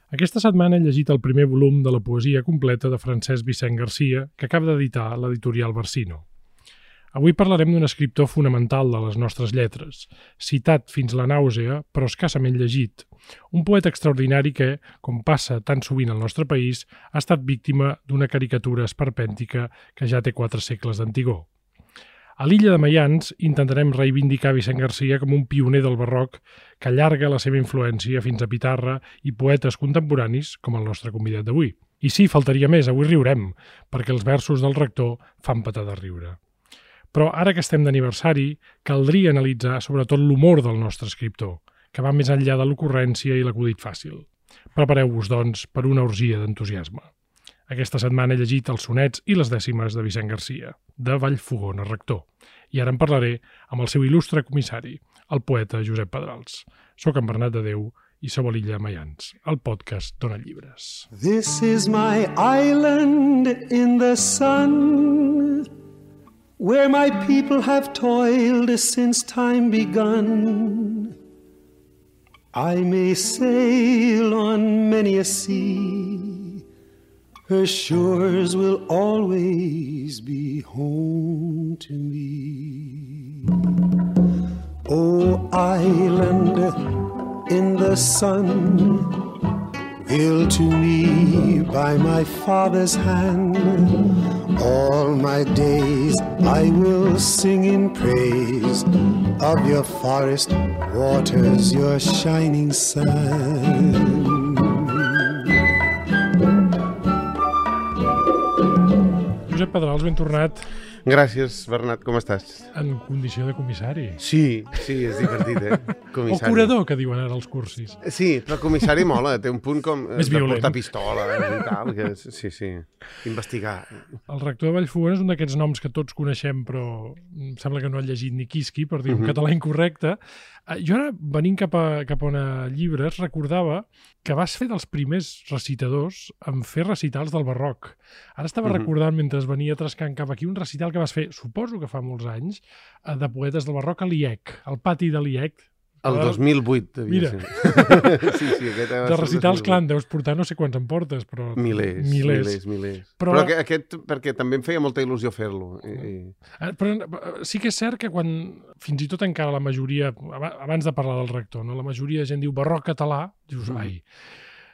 Aquesta setmana he llegit el primer volum de la poesia completa de Francesc Vicent Garcia, que acaba d'editar l'editorial Barsino. Avui parlarem d'un escriptor fonamental de les nostres lletres, citat fins la nàusea, però escassament llegit. Un poeta extraordinari que, com passa tan sovint al nostre país, ha estat víctima d'una caricatura esperpèntica que ja té 4 segles d'antigor. A l'illa de Mayans intentarem reivindicar Vicent Garcia com un pioner del barroc que allarga la seva influència fins a Pitarra i poetes contemporanis com el nostre convidat d'avui. I sí, faltaria més, avui riurem, perquè els versos del rector fan petar de riure. Però ara que estem d'aniversari, caldria analitzar sobretot l'humor del nostre escriptor, que va més enllà de l'ocurrència i l'acudit fàcil. Prepareu-vos, doncs, per una orgia d'entusiasme. Aquesta setmana he llegit els sonets i les dècimes de Vicent Garcia, de Vallfogona Rector, i ara en parlaré amb el seu il·lustre comissari, el poeta Josep Pedrals. Soc en Bernat de Déu i sou a l'illa Mayans, el podcast d'Ona Llibres. This is my island in the sun, where my people have toiled since time begun. I may sail on many a sea, her shores will always be home to me. Oh, island in the sun, built to me by my father's hand, all my days I will sing in praise of your forest waters, your shining sun. Josep Pedrals, ben tornat. Gràcies, Bernat, com estàs? En condició de comissari. Sí, és divertit, Comissari. O curador, que diuen ara els cursis. Sí, però comissari mola, té un punt com més de violent. portar pistola i tal, que sí, investigar. El rector de Vallfogona és un d'aquests noms que tots coneixem, però em sembla que no han llegit ni quisqui, per dir un català incorrecte. Jo ara, venint cap a Ona Llibres, recordava que vas fer dels primers recitadors en fer recitals del barroc. Ara estava recordant, mentre venia trascant cap aquí, un recital que vas fer, suposo que fa molts anys, de poetes del barroc a l'IEC, al pati de l'IEC. El 2008, devia ser. Sí, aquest de recitals, clar, en deus portar no sé quants en portes, però... Milers. Però aquest, perquè també em feia molta il·lusió fer-lo. Però sí que és cert que quan, fins i tot encara la majoria, abans de parlar del rector, no? La majoria de gent diu barroc català, dius, ai...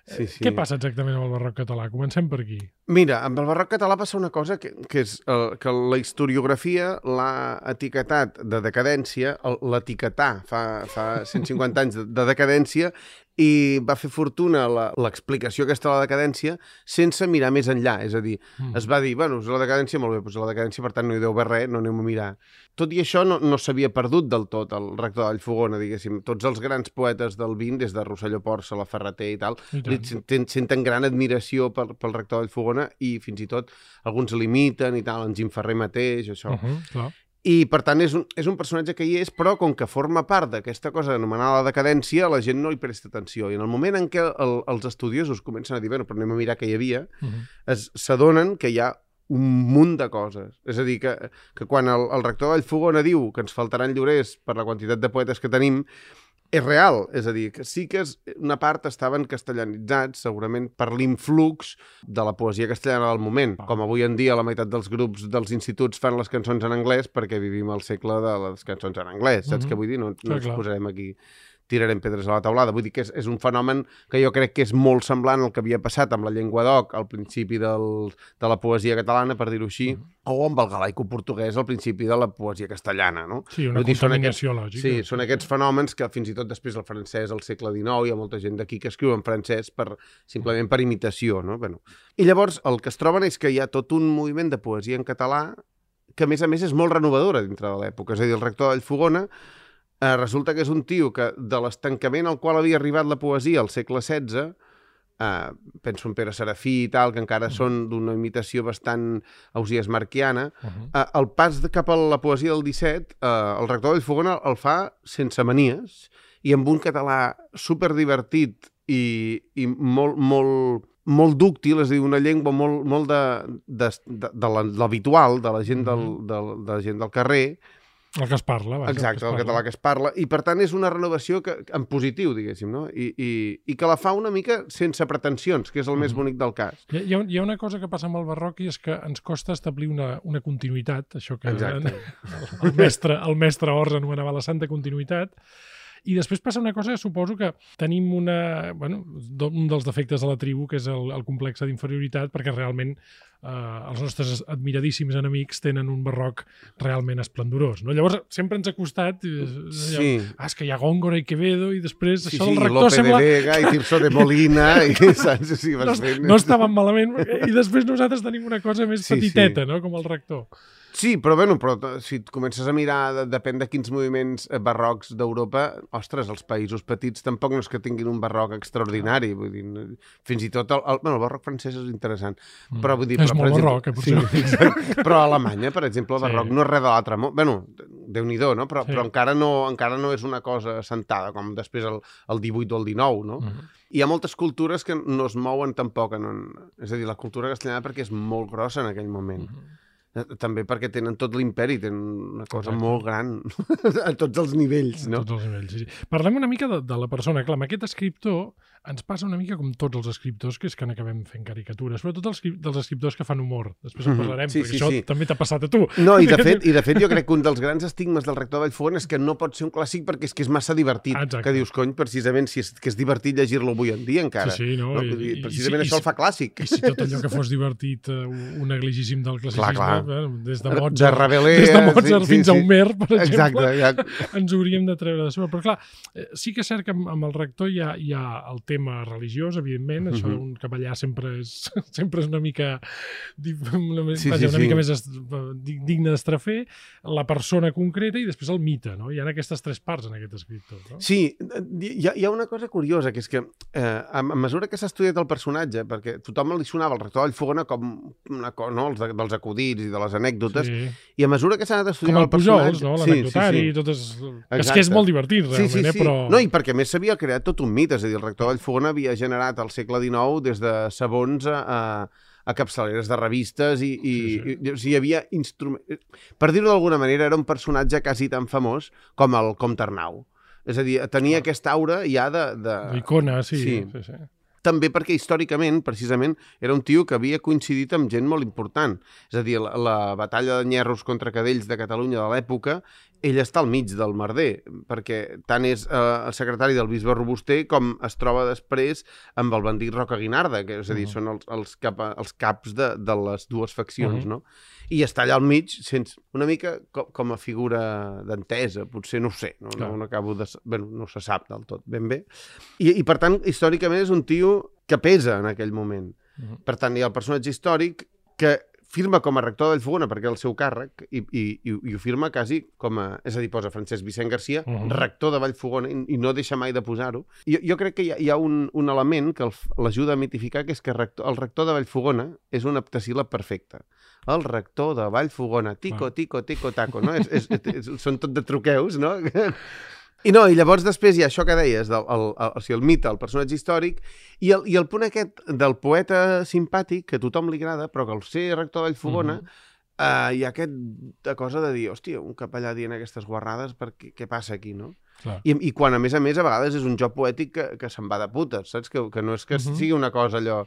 Sí. Què passa exactament amb el barroc català? Comencem per aquí. Mira, amb el barroc català passa una cosa que és que la historiografia l'ha etiquetat de decadència, l'etiquetà fa 150 anys de decadència, i va fer fortuna l'explicació aquesta de la decadència sense mirar més enllà. És a dir, es va dir, bueno, és la decadència, molt bé, doncs la decadència, per tant, no hi deu haver res, no anem a mirar. Tot i això no s'havia perdut del tot el rector de Vallfogona, diguéssim. Tots els grans poetes del XX, des de Rosselló Porça, la Ferreter i tal, senten gran admiració pel rector de Vallfogona i fins i tot alguns l'imiten i tal, en Jim Ferrer mateix, això. Clar. I, per tant, és un personatge que hi és, però com que forma part d'aquesta cosa anomenada la decadència, la gent no hi presta atenció. I en el moment en què els estudiosos comencen a dir, bueno, però anem a mirar què hi havia, s'adonen que hi ha un munt de coses. És a dir, que quan el rector de Vallfogona diu que ens faltaran llorers per la quantitat de poetes que tenim, és real, és a dir, que sí que una part estaven castellanitzats, segurament per l'influx de la poesia castellana del moment. Com avui en dia la meitat dels grups dels instituts fan les cançons en anglès perquè vivim al segle de les cançons en anglès. Saps què vull dir? No ens posarem aquí, tirarem pedres a la taulada. Vull dir que és un fenomen que jo crec que és molt semblant al que havia passat amb la llengua d'oc al principi de la poesia catalana, per dir-ho així, o amb el galaico-portuguès al principi de la poesia castellana, no? Sí, una contaminació lògica. Sí, són aquests fenòmens que fins i tot després el francès al segle XIX hi ha molta gent d'aquí que escriu en francès simplement per imitació, no? Bueno. I llavors el que es troben és que hi ha tot un moviment de poesia en català que a més és molt renovadora dintre de l'època. És a dir, el rector de Vallfogona resulta que és un tio que de l'estancament al qual havia arribat la poesia al segle XVI, penso en Pere Serafí i tal, que encara són d'una imitació bastant ausiasmarquiana, el pas cap a la poesia del XVII, el rector de Vallfogona el fa sense manies i amb un català superdivertit i molt dúctil, és a dir, una llengua molt de l'habitual, de la gent del carrer, El que es parla, vaja. Exacte, el català que es parla, i per tant és una renovació en positiu, diguéssim, no? I que la fa una mica sense pretensions, que és el més bonic del cas. Hi ha una cosa que passa amb el barroc i és que ens costa establir una continuïtat, això que el mestre Ors anomenava la santa continuïtat. I després passa una cosa que suposo que tenim un dels defectes de la tribu, que és el complex d'inferioritat, perquè realment els nostres admiradíssims enemics tenen un barroc realment esplendorós. No? Llavors, sempre ens ha costat... és que hi ha Góngora i Quevedo, i després això del rector Lope sembla... de Vega i Tirso de Molina, i saps? Sí, no estaven malament, i després nosaltres tenim una cosa més petiteta, no? Com el rector. Sí, però si et comences a mirar, depèn de quins moviments barrocs d'Europa, ostres, els països petits tampoc no és que tinguin un barroc extraordinari, vull dir, fins i tot el barroc francès és interessant, però vull dir... És molt barroc, potser. Però a Alemanya, per exemple, el barroc no és res de l'altre món. Bueno, Déu-n'hi-do, no? Però encara no és una cosa assentada, com després el 18 o el 19, no? Hi ha moltes cultures que no es mouen tampoc, és a dir, la cultura castellana perquè és molt grossa en aquell moment. També perquè tenen tot l'imperi, tenen una cosa molt gran a tots els nivells, no? A tots els nivells, sí. Parlem una mica de la persona. Clar, amb aquest escriptor ens passa una mica com tots els escriptors, que és que n'acabem fent caricatures, sobretot dels escriptors que fan humor. Després en parlarem, perquè això també t'ha passat a tu. No, i de fet jo crec que un dels grans estigmes del rector de Vallfogona és que no pot ser un clàssic perquè és que és massa divertit. Que dius, cony, precisament, que és divertit llegir-lo avui en dia encara. Sí, no? Precisament això el fa clàssic. I si tot allò que fos divertit, un negligíssim del classicisme, des de Mozart fins a Homer, per exemple, exacte. ens hauríem de treure de sobre. Però clar, sí que és cert que amb el rector hi ha el tema religiós, evidentment, això d'un capellà sempre és una mica mica més digne d'estrafer, la persona concreta i després el mite, no? Hi ha aquestes tres parts en aquest escriptor, no? Sí, hi ha una cosa curiosa, que és que a mesura que s'ha estudiat el personatge, perquè tothom li sonava el rector de Vallfogona com una cosa, no? dels acudits i de les anècdotes, i a mesura que s'ha anat estudiant el personatge... Com el Pujols, l'anecdotari, totes... És que és molt divertit, realment, però... No, i perquè a més s'havia creat tot un mite, és a dir, el rector de Vallfogona havia generat al segle XIX des de sabons a capçaleres de revistes i hi havia instruments... Per dir-ho d'alguna manera, era un personatge quasi tan famós com el Comte Arnau. És a dir, tenia aquesta aura ja de... D'icona, sí. També perquè històricament, precisament, era un tio que havia coincidit amb gent molt important. És a dir, la batalla de Nyerros contra Cadells de Catalunya de l'època, ell està al mig del merder, perquè tant és el secretari del bisbe Robuster com es troba després amb el bandit Roca Guinarda, que és a dir, són els caps de les dues faccions, no? I està allà al mig, una mica com a figura d'entesa, potser, no ho sé, no acabo de... Bé, no se sap del tot ben bé. I per tant, històricament és un tio que pesa en aquell moment. Per tant, hi ha el personatge històric que firma com a rector de Vallfogona perquè és el seu càrrec i ho firma quasi com a... És a dir, posa Francesc Vicent Garcia, rector de Vallfogona, i no deixa mai de posar-ho. Jo crec que hi ha un element que l'ajuda a mitificar, que és que el rector de Vallfogona és un heptasíl·lab perfecte. El rector de Vallfogona, tico, tico, tico, taco, no? Són tot de truqueus, no? I llavors després hi ha això que deies, el mite, el personatge històric, i el punt aquest del poeta simpàtic, que a tothom li agrada, però que al ser rector de Vallfogona hi ha aquesta cosa de dir, hòstia, un capellà dient aquestes guarrades, què passa aquí, no? I quan, a més, a vegades és un joc poètic que se'n va de putes, saps? Que no és que sigui una cosa allò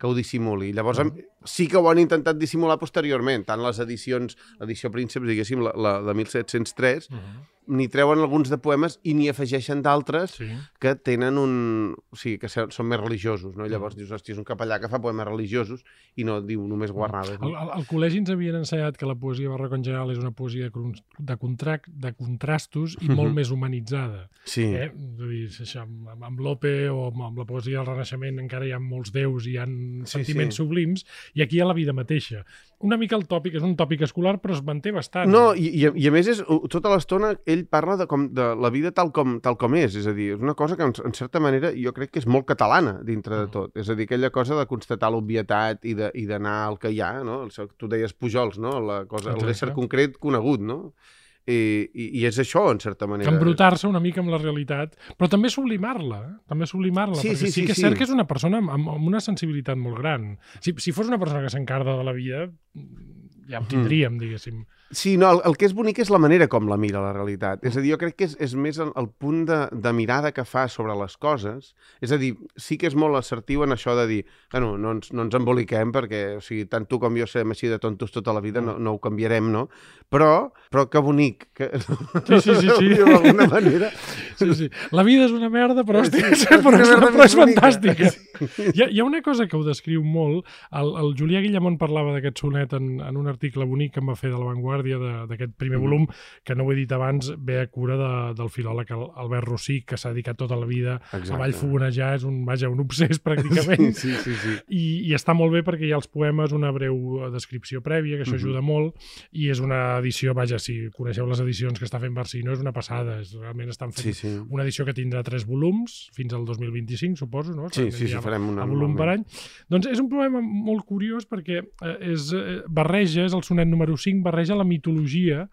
que ho dissimuli. Llavors sí que ho han intentat dissimular posteriorment, tant les edicions, l'edició Prínceps, diguéssim, la de 1703, n'hi treuen alguns de poemes i n'hi afegeixen d'altres que tenen o sigui, que són més religiosos, no? Llavors dius, hòstia, és un capellà que fa poemes religiosos i no diu només guarrades. Al col·legi ens havien ensenyat que la poesia barroca en general és una poesia de contrastos i molt més humanitzada. Sí. Amb Lope o amb la poesia del Renaixement encara hi ha molts déus i hi ha sentiments sublims, i aquí hi ha la vida mateixa. Una mica el tòpic, és un tòpic escolar, però es manté bastant. No, i a més, tota l'estona ell parla de la vida tal com és a dir, és una cosa que en certa manera jo crec que és molt catalana dintre de tot. És a dir, aquella cosa de constatar l'obvietat i d'anar al que hi ha, no? Tu deies Pujols, no? L'ésser concret conegut, no? I és això, en certa manera. Embrutar-se una mica amb la realitat, però també sublimar-la, perquè sí que és cert que és una persona amb una sensibilitat molt gran. Si fos una persona que s'encarda de la vida, ja ho tindríem, diguéssim. Sí, no, el que és bonic és la manera com la mira la realitat. És a dir, jo crec que és més el punt de mirada que fa sobre les coses. És a dir, sí que és molt assertiu en això de dir, bueno, no ens emboliquem perquè, o sigui, tant tu com jo serem així de tontos tota la vida, no ho canviarem, no? Però que bonic. Que... Sí. D'alguna manera. Sí. La vida és una merda, però és fantàstica. Hi ha una cosa que ho descriu molt. El Julià Guillamont parlava d'aquest sonet en un article bonic que em va fer de La Vanguardia d'aquest primer volum, que no ho he dit abans, ve a cura del filòleg Albert Rosic, que s'ha dedicat tota la vida a vallfogonejar, és un obsès pràcticament. Sí. I està molt bé perquè hi ha els poemes, una breu descripció prèvia, que això ajuda molt, i és una edició, si coneixeu les edicions que està fent Barcino, és una passada, realment estan fent una edició que tindrà 3 volums, fins al 2025, suposo, no? Sí, farem un volum per any. Doncs és un poema molt curiós perquè és el sonet número 5, barreja la mitologia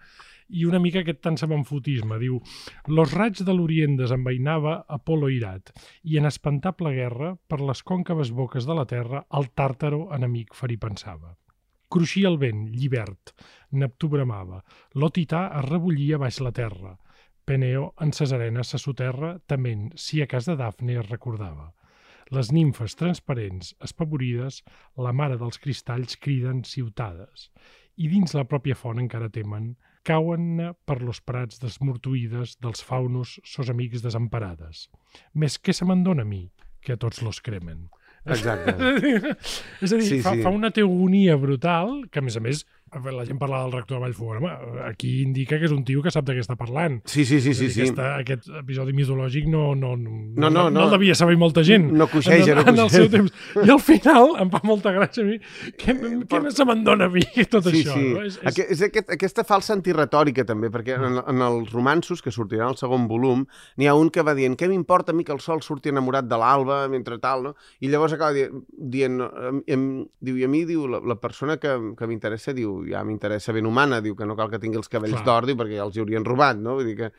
i una mica aquest tant semenfotisme. Diu: «Los raigs de l'Orient desenvainava Apolo irat, i en espantable guerra, per les còncaves boques de la terra, el tàrtaro enemic ferir pensava. Cruixia el vent, llibert, Neptú bramava, l'Otità es rebullia baix la terra, Peneo en ses arenes se soterra, tement, si a cas de Dafne es recordava. Les nimfes transparents, espavorides, la mare dels cristalls criden ciutades, i dins la pròpia font encara temen, cauen per los prats desmortuïdes dels faunos sos amics desemparades. Més què se me'n dona a mi, que a tots los cremen». Exacte. És a dir, fa una teogonia brutal, que a més, la gent parla del rector de Vallfogona, aquí indica que és un tio que sap de què està parlant. Sí. Aquest episodi mitològic no el devia saber molta gent. No coixeja. En el seu temps. I al final em fa molta gràcia a mi. Què més se me'n dona a mi tot això? No? És aquesta falsa antiretòrica també, perquè en els romanços que sortiran al segon volum n'hi ha un que va dient: què m'importa a mi que el sol surti enamorat de l'alba mentre tal, no? I llavors acaba dient, diu, i a mi, diu, la persona que m'interessa, diu, ja m'interessa ben humana, diu que no cal que tingui els cabells d'or, diu, perquè ja els hi haurien robat, no? Vull dir que...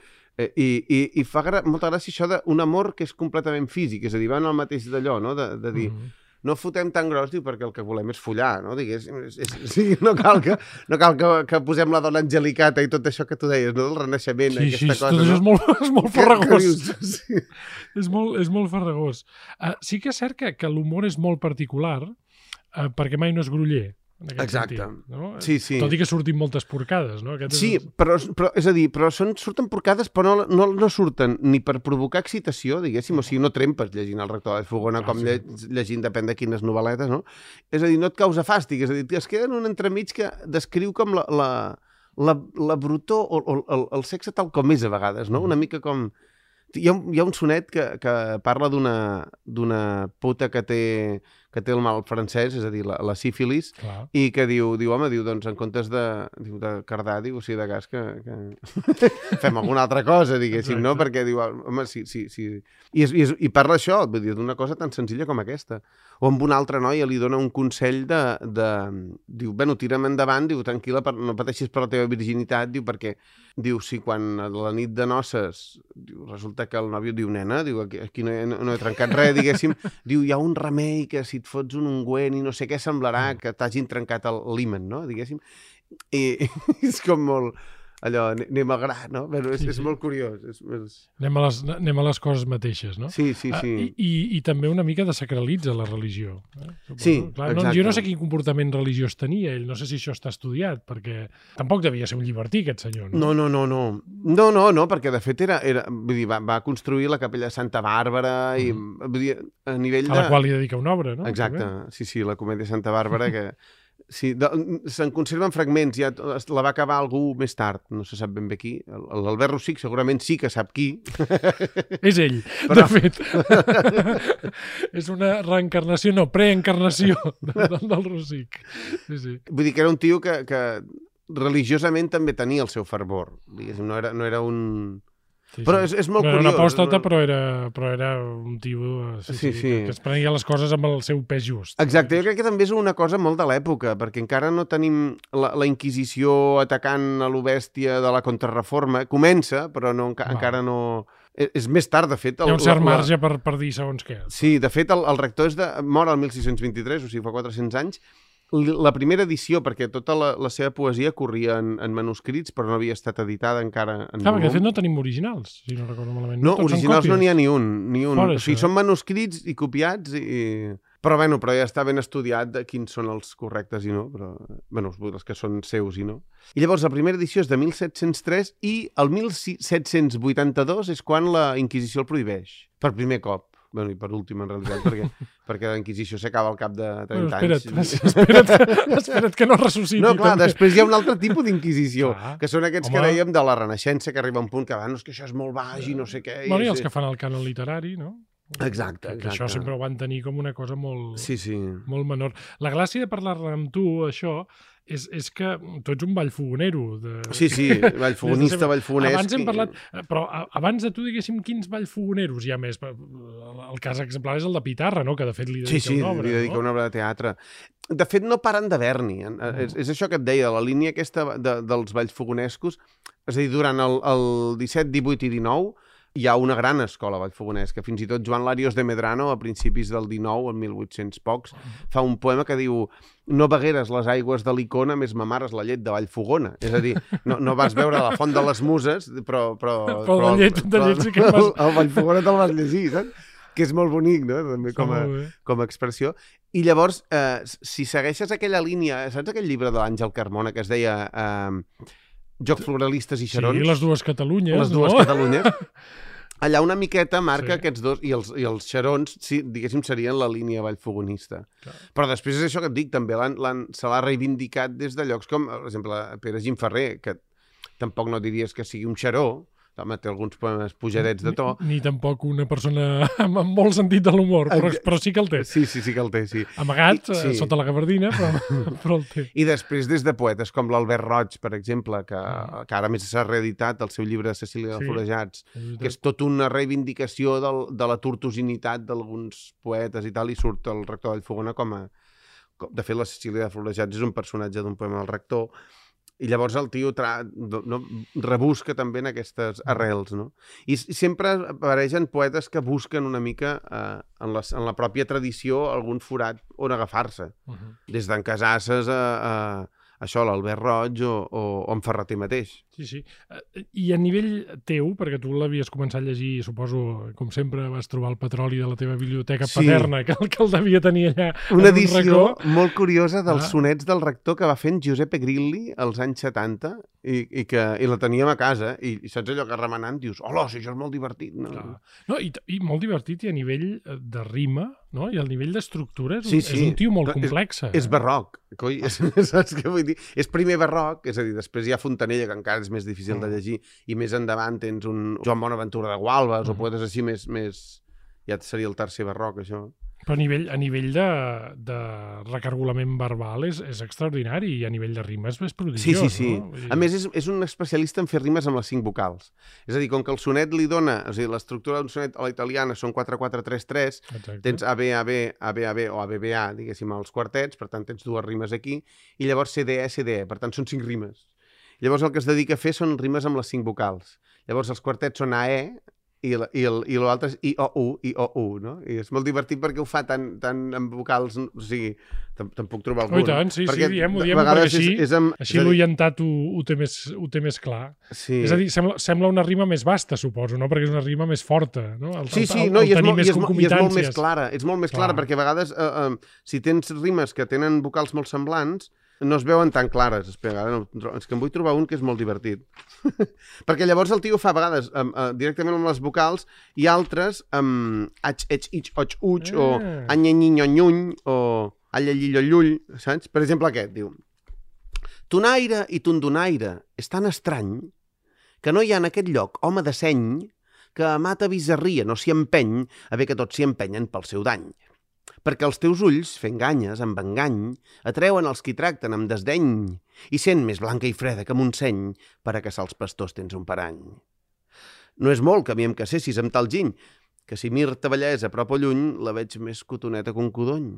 I fa molta gràcia això d'un amor que és completament físic, és a dir, van al mateix d'allò, no? De dir, no fotem tan gros, diu, perquè el que volem és follar, no? No cal que posem la dona angelicata i tot això que tu deies, no? Del renaixement, aquesta cosa, no? Sí, és molt farragós. És molt farragós. Sí que és cert que l'humor és molt particular, perquè mai no és groller. Exacte. Sentit, no? Sí. Tot i que surtin moltes porcades, no? Però surten porcades, però no surten ni per provocar excitació, diguéssim, o sigui, no trempes llegint el rector de Fogona com llegint depèn de quines novel·letes, no? És a dir, no et causa fàstic, és a dir, es queda en un entremig que descriu com la brutor o el sexe tal com és a vegades, no? Una mica com... Hi ha un sonet que parla d'una puta que té el mal francès, és a dir, la sífilis, i que diu, home, doncs en comptes de cardar, diu, o sigui, de gas, que fem alguna altra cosa, diguéssim, no? Perquè diu, home, sí. I parla això, vull dir, d'una cosa tan senzilla com aquesta. O amb una altra noia li dona un consell diu, bueno, tira'm endavant, diu, tranquil·la, no pateixis per la teva virginitat, diu, perquè, diu, si quan a la nit de noces, diu, resulta que el nòvio diu, nena, diu, aquí no he trencat res, diguéssim, diu, hi ha un remei que si et fots un ungüent i no sé què semblarà que t'hagin trencat l'himen, no? Diguéssim. I és com molt... allò, anem al gra, no? Bueno, és molt curiós. Anem a les coses mateixes, no? Sí. I també una mica desacralitza la religió. Sí, clar, exacte. Jo no sé quin comportament religiós tenia ell, no sé si això està estudiat, perquè tampoc devia ser un llibertí, aquest senyor, no? No, perquè de fet vull dir, va construir la capella de Santa Bàrbara i, vull dir, a nivell de... A la qual li dedica una obra, no? Exacte, sí, la comèdia de Santa Bàrbara, que... Sí, se'n conserven fragments, ja la va acabar algú més tard, no se sap ben bé qui. L'Albert Rosic segurament sí que sap qui. És ell, de fet. És una reencarnació, no, preencarnació del Rosic. Sí. Vull dir que era un tio que religiosament també tenia el seu fervor. Diguéssim, no era un... Sí. Però és molt curiós. Era una apòstata, però era un tio que es prenia les coses amb el seu pes just. Exacte, jo crec que també és una cosa molt de l'època, perquè encara no tenim la Inquisició atacant a lo bèstia de la Contrarreforma. Comença, però encara no... És més tard, de fet... Hi ha un cert marge per dir segons què. Sí, de fet, el rector mor el 1623, o sigui, fa 400 anys, la primera edició, perquè tota la seva poesia corria en manuscrits, però no havia estat editada encara en volum. Perquè de fet no tenim originals, si no recordo malament. No, originals no n'hi ha ni un. Fora, o sigui, són manuscrits i copiats Però ja està ben estudiat de quins són els correctes i no, però, els que són seus i no. I llavors la primera edició és de 1703 i el 1782 és quan la Inquisició el prohibeix, per primer cop. I per últim, en realitat, perquè la Inquisició s'acaba al cap de 30 anys. Espera't que no ressusciti. No, clar, després hi ha un altre tipus d'inquisició, que són aquests que dèiem de la Renaixença, que arriba a un punt que és que això és molt baix i no sé què. I els que fan el cànon literari, no? Exacte. Que això sempre ho van tenir com una cosa molt, sí. molt menor. La gràcia de parlar-ne amb tu, això, és que tu ets un ballfogonero. Sí, ballfogonista, ballfogonesc. Abans hem parlat, però abans de tu, diguéssim, quins ballfogoneros hi ha més? El cas exemplar és el de Pitarra, no? Que de fet li dedica una obra. Sí, li dedica una obra de teatre. De fet, no paren d'haver-n'hi. És això que et deia, la línia aquesta dels ballfogonescos, és a dir, durant el 17, 18 i 19, hi ha una gran escola vallfogonesca. Fins i tot Joan Larios de Medrano, a principis del 19, en 1800 pocs, fa un poema que diu: no begueres les aigües de l'Icona, més mamares la llet de Vallfogona. És a dir, no vas veure la font de les muses, però la llet sí que vas... El Vallfogona te'l vas llegir, saps? Que és molt bonic, no? També com a expressió. I llavors, si segueixes aquella línia, saps aquell llibre de l'Àngel Carmona que es deia Jocs Floralistes i Xarons? Sí, les dues Catalunyes. Les dues Catalunyes. Allà una miqueta marca aquests dos, i els xarons, sí, diguéssim, serien la línia vallfogonista. Clar. Però després és això que et dic, també se l'ha reivindicat des de llocs com, per exemple, Pere Gimferrer, que tampoc no diries que sigui un xaró, home, té alguns poemes pujadets de to. Ni tampoc una persona amb molt sentit de l'humor, però sí que el té. Sí que el té, sí. Amagat, sota la gabardina, però el té. I després, des de poetes com l'Albert Roig, per exemple, que ara més s'ha reeditat el seu llibre Cecília de Florejats, que és tot una reivindicació de la tortuosinitat d'alguns poetes i tal, i surt el rector Vallfogona com a... De fet, la Cecília de Florejats és un personatge d'un poema del rector, i llavors el tio rebusca també en aquestes arrels, no? I sempre apareixen poetes que busquen una mica en la pròpia tradició algun forat on agafar-se. Des d'en Casasses a això, l'Albert Roig o en Ferreter mateix. Sí. I a nivell teu, perquè tu l'havies començat a llegir, suposo, com sempre vas trobar el petroli de la teva biblioteca paterna, que el devia tenir allà. Una edició molt curiosa dels sonets del rector que va fent Giuseppe Grilli als anys 70 i la teníem a casa i saps allò que remenant dius, hola, si això és molt divertit. No, i molt divertit i a nivell de rima, no? I al nivell d'estructura és un tio molt complex. És barroc, coi, saps què vull dir? És primer barroc, és a dir, després hi ha Fontanella, que encara és més difícil de llegir, i més endavant tens un Joan Bonaventura de Gualbes o poetes així més... Ja seria el tercer barroc, això. Però a nivell de recargolament verbal és extraordinari i a nivell de rimes és prodigiós. Sí. No? A més, és un especialista en fer rimes amb les 5 vocals. És a dir, com que el sonet li dona... És a dir, l'estructura d'un sonet a la italiana són 4-4-3-3, tens AB, AB, AB, AB o ABBA, diguéssim, als quartets, per tant tens 2 rimes aquí, i llavors CDE, CDE, per tant són 5 rimes. Llavors el que es dedica a fer són rimes amb les 5 vocals. Llavors els quartets són AE, i l'altre és IOU, IOU, no? I és molt divertit perquè ho fa tan amb vocals, o sigui, te'n puc trobar algun. I tant, sí, diem-ho, perquè així l'orientat ho té més clar. Sí. És a dir, sembla una rima més vasta, suposo, no? Perquè és una rima més forta, no? I és molt més clara. És molt més clara, perquè a vegades, si tens rimes que tenen vocals molt semblants, no es veuen tan clares. És que em vull trobar un que és molt divertit. Perquè llavors el tio fa a vegades directament amb les vocals i altres amb ach, ech, ich, och, uch, o anyanyinyo-nyuny, o allallillo-llull, saps? Per exemple aquest, diu: Tonaire i tondonaire és tan estrany que no hi ha en aquest lloc home de seny que a mata bizarria no s'hi empeny a bé que tots s'hi empenyen pel seu dany. Perquè els teus ulls, fent ganyes, amb engany, atreuen els qui tracten amb desdeny i sent més blanca i freda que Montseny per a caçar els pastors tens un parany. No és molt que a mi em casessis amb tal giny, que si mir-te bellesa a prop o lluny la veig més cotoneta que un codony.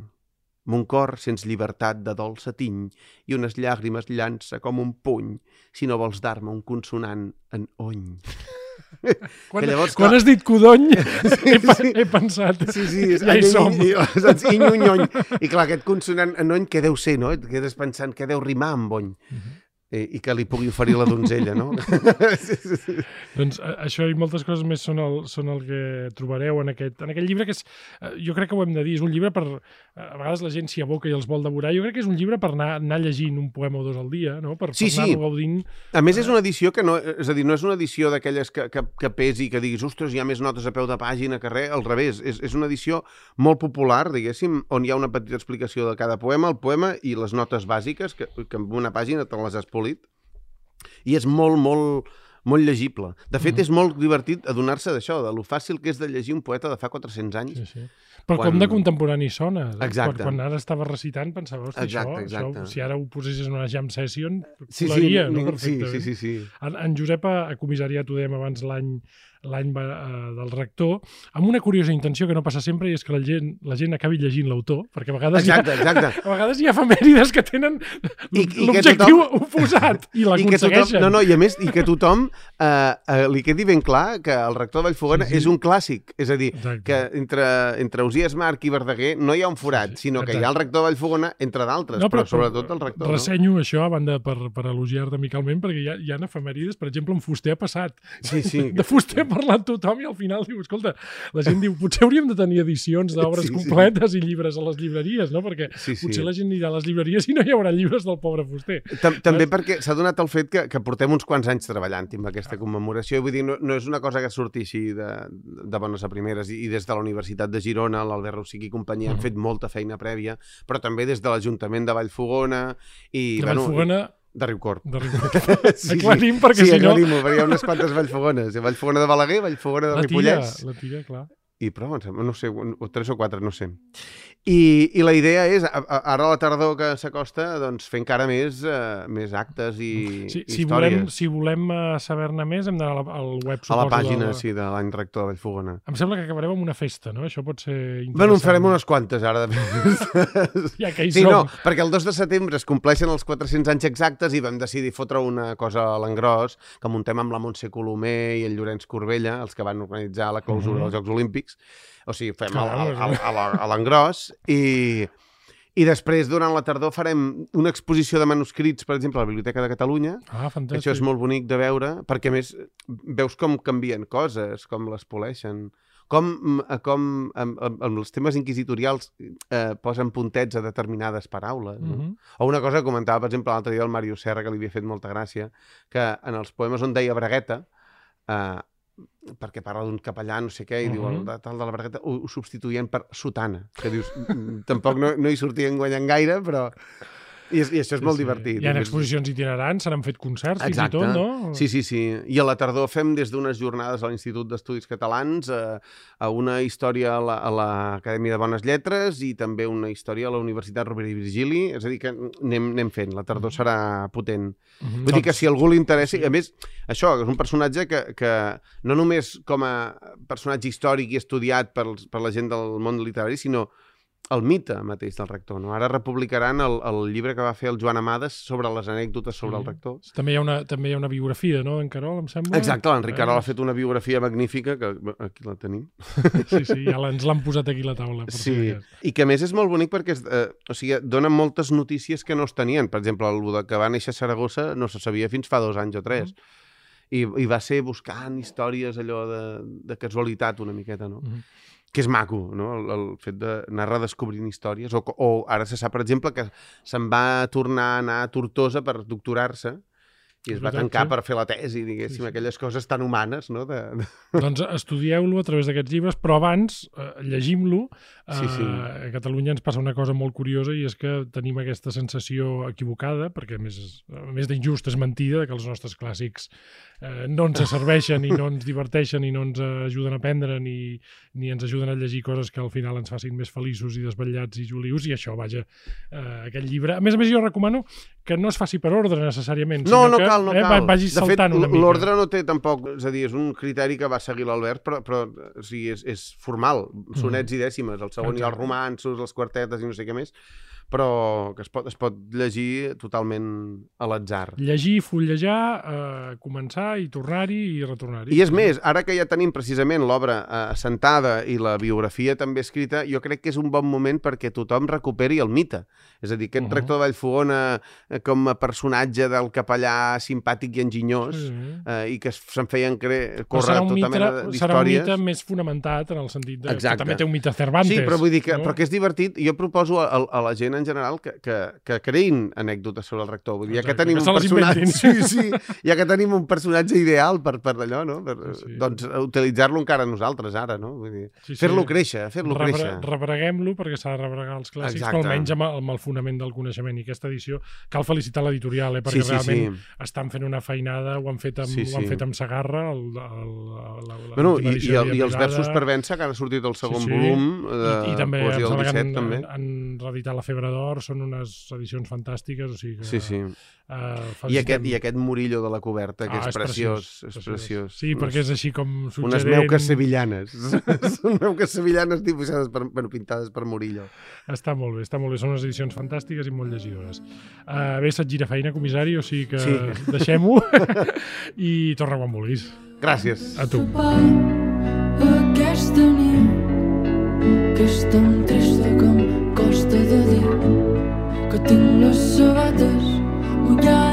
Mon cor sents llibertat de dolça tiny i unes llàgrimes llança com un puny si no vols dar-me un consonant en ony. Quan has dit codony, he pensat, ja hi som. Inyunyony. I clar, aquest consonant enony, què deu ser, no? Et quedes pensant què deu rimar amb ony. I que li pugui oferir la donzella, no? Doncs això i moltes coses més són el que trobareu en aquest llibre, que és, jo crec que ho hem de dir, és un llibre per... A vegades la gent s'hi aboca i els vol devorar. Jo crec que és un llibre per anar llegint un poema o dos al dia, no? Per anar-lo gaudint. A més, és una edició que no... És a dir, no és una edició d'aquelles que pesi i que diguis, ostres, hi ha més notes a peu de pàgina que res, al revés. És una edició molt popular, diguéssim, on hi ha una petita explicació de cada poema, el poema i les notes bàsiques, que en una pàgina te les has polit. I és molt, molt, molt llegible. De fet, és molt divertit adonar-se d'això, de lo fàcil que és de llegir un poeta de fa 400 anys. Sí. Però com de contemporani sona. Exacte. Quan ara estava recitant pensava, hosti, això, si ara ho posessis en una jam session, colaria, no? Perfectament. Sí. En Josep ha comissariat, ho dèiem abans, l'any del rector, amb una curiosa intenció que no passa sempre, i és que la gent acabi llegint l'autor, perquè a vegades, a vegades hi ha efemèrides que tenen l'objectiu oposat i l'aconsegueixen. I a més, i que tothom li quedi ben clar que el rector de Vallfogona és un clàssic, és a dir, que entre Ausiàs March i Verdaguer no hi ha un forat, sinó que hi ha el rector de Vallfogona, entre d'altres, però sobretot el rector. Ressenyo això, a banda per elogiar-te amicalment, perquè hi ha efemèrides, per exemple, en Fuster ha passat. De Fuster parlant tothom i al final diu, escolta, la gent diu, potser hauríem de tenir edicions d'obres completes i llibres a les llibreries, no? Perquè potser la gent anirà a les llibreries i no hi haurà llibres del pobre Fuster. També perquè s'ha donat el fet que portem uns quants anys treballant amb aquesta commemoració, i vull dir, no és una cosa que surti així de bones a primeres, i des de la Universitat de Girona, l'Albert Rosic i companyia han fet molta feina prèvia, però també des de l'Ajuntament de Vallfogona i... De Vallfogona... De Riucorb. Aclarim, perquè si no... Sí, aclarim-ho, perquè hi ha unes quantes Vallfogones. Vallfogona de Balaguer, Vallfogona de Ripollès. La Tira, clar. I prou, no sé, 3 o 4, no sé. I la idea és, ara a la tardor que s'acosta, doncs fer encara més actes i històries. Si volem saber-ne més, hem d'anar al web, suposo. A la pàgina, de l'any rector de Vallfogona. Em sembla que acabarem amb una festa, no? Això pot ser interessant. Bueno, en farem unes quantes, ara. Ja que hi som. No, perquè el 2 de setembre es compleixen els 400 anys exactes i vam decidir fotre una cosa a l'engròs, que muntem amb la Montse Colomer i el Llorenç Corbella, els que van organitzar la clausura dels Jocs Olímpics. O sigui, fem a l'engròs i després, durant la tardor, farem una exposició de manuscrits, per exemple, a la Biblioteca de Catalunya. Fantàstic. Això és molt bonic de veure, perquè a més veus com canvien coses, com les poleixen, com amb els temes inquisitorials posen puntets a determinades paraules. O una cosa que comentava, per exemple, l'altre dia el Mario Serra, que li havia fet molta gràcia, que en els poemes on deia bragueta, perquè parla d'un capellà, no sé què, i diu, el tal de la bragueta, ho substituïen per sotana, que dius, tampoc no hi sortien guanyant gaire, però... I això és molt divertit. Hi ha exposicions itinerants, se n'han fet concerts, fins i tot, no? Sí. I a la tardor fem des d'unes jornades a l'Institut d'Estudis Catalans a una història a l'Acadèmia de Bones Lletres i també una història a la Universitat Rovira i Virgili. És a dir, que anem fent. La tardor serà potent. Vull dir que si algú li interessa... A més, això, és un personatge que no només com a personatge històric i estudiat per la gent del món literari, sinó el mite mateix del rector, no? Ara republicaran el llibre que va fer el Joan Amades sobre les anècdotes sobre el rector. També hi ha una biografia, no?, d'en Carol, em sembla. Exacte, l'Enric Carol ha fet una biografia magnífica, que aquí la tenim. Sí, ja ens l'han posat aquí a la taula. Sí, i que a més és molt bonic perquè donen moltes notícies que no es tenien. Per exemple, el que va néixer a Saragossa no se sabia fins fa 2 anys o 3. I va ser buscant històries allò de casualitat una miqueta, no? Que és maco, no? El fet d'anar redescobrint històries. O ara se sap, per exemple, que se'n va tornar a anar a Tortosa per doctorar-se i es va tancar per fer la tesi, diguéssim, aquelles coses tan humanes, no? Doncs estudieu-lo a través d'aquests llibres, però abans llegim-lo. A Catalunya ens passa una cosa molt curiosa i és que tenim aquesta sensació equivocada, perquè a més d'injust és mentida, que els nostres clàssics no ens serveixen i no ens diverteixen i no ens ajuden a aprendre ni ens ajuden a llegir coses que al final ens facin més feliços i desvetllats i jolius, i això, vaja, aquest llibre. A més, jo recomano que no es faci per ordre necessàriament, sinó que vagi saltant una mica. L'ordre no té tampoc, és a dir, és un criteri que va seguir l'Albert, però o sigui, és formal, sonets i dècimes, el segon hi ha els romanços, les quartetes i no sé què més, però que es pot llegir totalment a l'atzar. Llegir, fullejar, començar i tornar-hi i retornar-hi. I és més, ara que ja tenim precisament l'obra assentada i la biografia també escrita, jo crec que és un bon moment perquè tothom recuperi el mite. És a dir, aquest rector de Vallfogona com a personatge del capellà simpàtic i enginyós i que se'n feien córrer tota mena d'històries. Serà un mite més fonamentat en el sentit que també té un mite Cervantes. Sí, però vull dir que és divertit. Jo proposo a la gent en general que creïn anècdotes sobre el rector. Vull dir, ja que tenim un personatge... Ja que tenim un personatge ideal per allò, no? Doncs utilitzar-lo encara nosaltres ara, no? Vull dir, fer-lo créixer, Rebreguem-lo perquè s'ha de rebregar els clàssics, però almenys amb el fonament del coneixement. I aquesta edició cal felicitar l'editorial, perquè realment estan fent una feinada, ho han fet amb Segarra, i els versos per vèncer, que han sortit el segon volum i també Poesia del 17, també. Han reeditat La Febre d'Or, són unes edicions fantàstiques, o sigui que... I aquest Murillo de la coberta, que és preciós. És preciós. Sí, perquè és així com suggerent... Unes meuques sevillanes. Són meuques sevillanes dibuixades, pintades per Murillo. Està molt bé. Són unes edicions fantàstiques i molt llegidores. Bé, se't gira feina, comissari, o sigui que deixem-ho i torna quan vulguis. Gràcies. A tu. Aquesta nit que és tan trista que em costa de dir que tinc les sabates mullades